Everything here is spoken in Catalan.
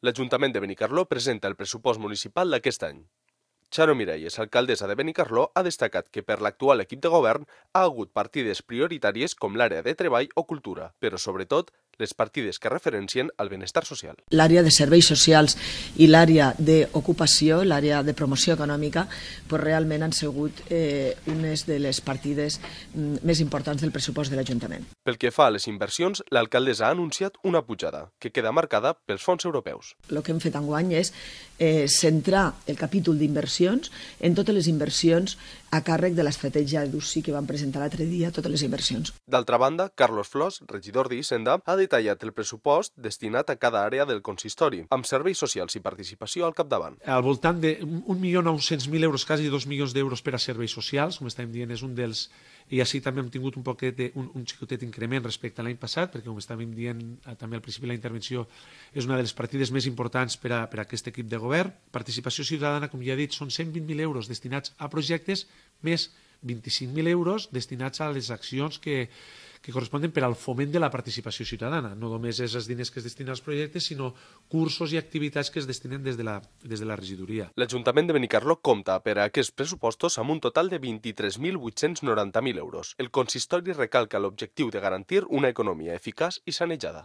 L'Ajuntament de Benicarló presenta el pressupost municipal d'aquest any. Charo Miralles, alcaldessa de Benicarló, ha destacat que per l'actual equip de govern ha hagut partides prioritàries com l'àrea de treball o cultura, però sobretot les partides que referencien al benestar social. L'àrea de serveis socials i l'àrea d'ocupació, l'àrea de promoció econòmica, realment han sigut unes de les partides més importants del pressupost de l'Ajuntament. Pel que fa a les inversions, l'alcaldessa ha anunciat una pujada, que queda marcada pels fons europeus. El que hem fet enguany és centrar el capítol d'inversions en totes les inversions a càrrec de l'estratègia d'UCI que vam presentar l'altre dia, totes les inversions. D'altra banda, Carlos Flors, regidor d'Hisenda, ha detallat el pressupost destinat a cada àrea del consistori, amb serveis socials i participació al capdavant. Al voltant de 1.900.000 euros, quasi 2 milions d'euros per a serveis socials, com estàvem dient, és un dels... I així també hem tingut un xicotet increment respecte a l'any passat, perquè com estàvem dient també al principi de la intervenció, és una de les partides més importants per a aquest equip de govern. Participació ciutadana, com ja he dit, són 120.000 euros destinats a projectes, més 25.000 euros destinats a les accions que corresponen per al foment de la participació ciutadana. No només és els diners que es destinen als projectes, sinó cursos i activitats que es destinen des de la regidoria. L'Ajuntament de Benicarló compta per a aquests pressupostos amb un total de 23.890.000 euros. El consistori recalca l'objectiu de garantir una economia eficaç i sanejada.